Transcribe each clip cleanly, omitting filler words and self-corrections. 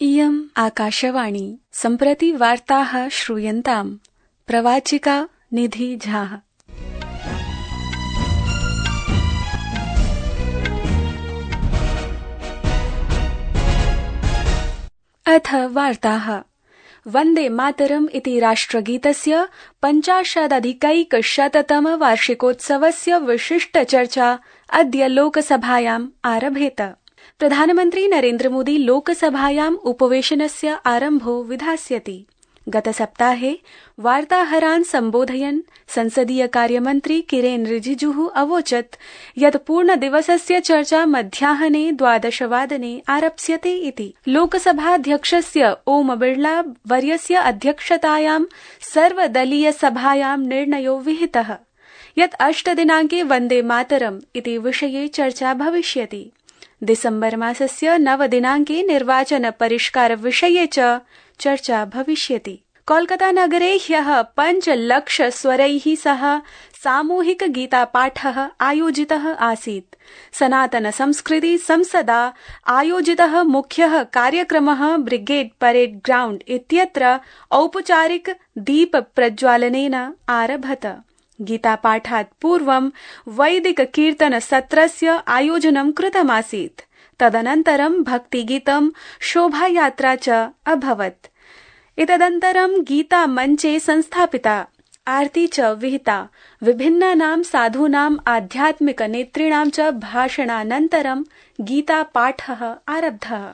इयम् आकाशवाणी सम्प्रति वार्ताः श्रूयन्ताम्। प्रवाचिका निधि झा। अथ वार्ताः। वन्दे मातरम् इति राष्ट्रगीतस्य 50+ वार्षिकोत्सवस्य विशिष्टचर्चा अद्य लोकसभायाम् आरभेत। प्रधानमन्त्री नरेन्द्र मोदी लोकसभायाम् उपवेशनस्य आरम्भो विधास्यति। गतसप्ताहे वार्ताहरान् सम्बोधयन् संसदीय कार्यमन्त्री किरेन रिजिजुः अवोचत् यत् पूर्णदिवसस्य चर्चा मध्याह्ने 12 वादने आरप्स्यते इति। लोकसभाध्यक्षस्य ओम बिर्ला वर्यस्य अध्यक्षतायां सर्वदलीय सभायां निर्णयो विहितः यत् 8 दिनाङ्के वन्दे मातरम् इति विषये चर्चा भविष्यति। दिसम्बर मासस्य 9 दिनाङ्के निर्वाचन परिष्कार विषये च चर्चा भविष्यति। कोलकाता नगरे ह्यः 5 लाख स्वरैः सह सामूहिक गीतापाठः आयोजितः आसीत्। सनातन संस्कृति संसदा आयोजितः मुख्यः कार्यक्रमः ब्रिगेड परेड ग्राउण्ड इत्यत्र औपचारिक दीप प्रज्वालनेन आरभत। गीतापाठात् पूर्वं वैदिक कीर्तन सत्रस्य आयोजनं कृतमासीत्। तदनन्तरं भक्तिगीतं शोभायात्रा च अभवत्। एतदनन्तरं गीता मञ्चे संस्थापिता, आरती च विहिता। विभिन्नानां साधूनाम् आध्यात्मिक नेतॄणां च भाषणानन्तरं गीतापाठः आरब्धः।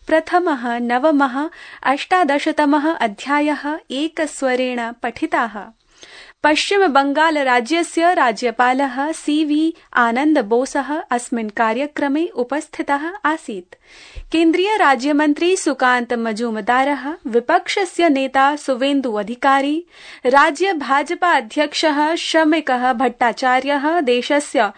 प्रथमः, नवमः, 18तमः अध्यायः एकस्वरेण पठिताः। पश्चिम बंगाल राज्यस्य राज्यपालः CV आनन्द बोसः अस्मिन् कार्यक्रमे उपस्थितः आसीत्। केन्द्रीय राज्यमन्त्री सुकान्त मजूमदारः, विपक्षस्य नेता सुवेन्दु अधिकारी, राज्य भाजपा अध्यक्षः शमिकः भट्टाचार्यः, देशस्य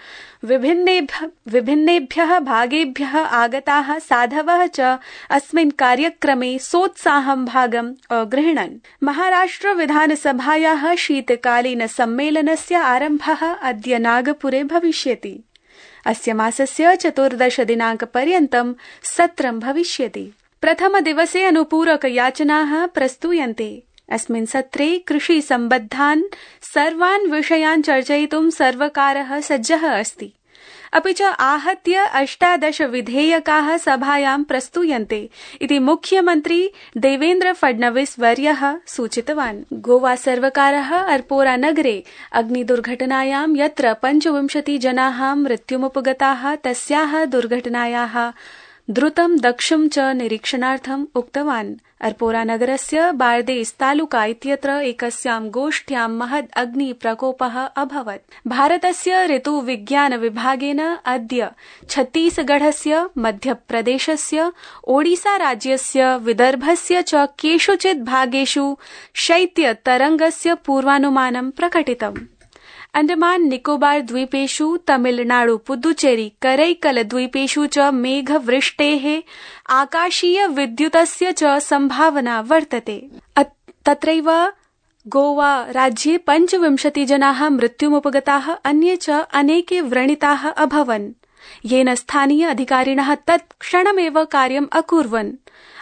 विभिन्नेभ्यः भागेभ्यः आगताः साधवः च अस्मिन् कार्यक्रमे सोत्साहं भागम् अगृह्णन्। महाराष्ट्र विधानसभायाः शीतकालीन सम्मेलनस्य आरम्भः अद्य नागपुरे भविष्यति। अस्य मासस्य 14 दिनाङ्कपर्यन्तं सत्रं भविष्यति। प्रथमदिवसे अनुपूरक याचनाः प्रस्तूयन्ते। अस्मिन् सत्रे कृषि सम्बद्धान् सर्वान् विषयान् चर्चयितुं सर्वकारः सज्जः अस्ति। अपि च आहत्य 18 विधेयकाः सभायां प्रस्तूयन्ते इति मुख्यमन्त्री देवेन्द्र फडणवीस वर्यः सूचितवान्। गोवा सर्वकारः अल्पोरा नगरे अग्निदुर्घटनायां यत्र 25 जनाः मृत्युमुपगताः तस्याः दुर्घटनायाः द्रुतं दक्षं च निरीक्षणार्थम् उक्तवान्। अल्पोरा नगरस्य बार्देस तालुका इत्यत्र एकस्यां गोष्ठ्यां महद् अग्निप्रकोपः अभवत्। भारतस्य ऋतुविज्ञान विभागेन अद्य छत्तीसगढस्य, मध्यप्रदेशस्य, ओडिसा राज्यस्य, विदर्भस्य च केषुचित् भागेषु शैत्यतरङ्गस्य पूर्वानुमानं प्रकटितम्। अंडमान निकोबार द्वीपेषु, तमिलनाडु, पुदुचेरी, करैकल द्वीपेषु च मेघवृष्टेः, आकाशीय विद्युतस्य च संभावना वर्तते। तत्रैव गोवा राज्ये 25 जनाः मृत्युमुपगताः, अन्ये च अनेके व्रणिताः अभवन्, येन स्थानीय अधिकारिणः तत्क्षणमेव कार्यम् अकुर्वन्।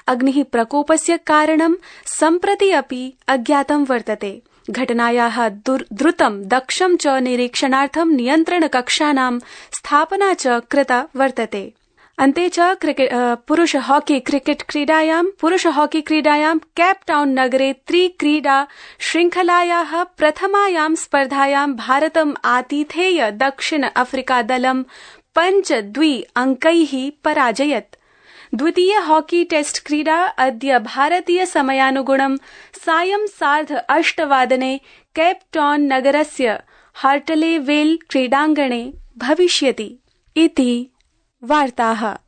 अग्निः प्रकोपस्य कारणं सम्प्रति अपि अज्ञातं वर्तते। घटनायाः द्रुतं दक्षं च निरीक्षणार्थं नियन्त्रणकक्षानां स्थापना च कृता वर्तते। अन्ते च पुरुष हॉकी क्रीडायां केप टाउन नगरे त्रिक्रीडा श्रृंखलायाः प्रथमायां स्पर्धायां भारतम् आतिथेय दक्षिण अफ्रीका दलं 5-2 अङ्कैः पराजयत्। द्वितीय हॉकी टेस्ट क्रीडा अद्य भारतीय समयानुगुणं सायं 8:30 वादने केप टाउन नगरस्य हार्टलेवेल क्रीडाङ्गणे भविष्यति इति वार्ताः।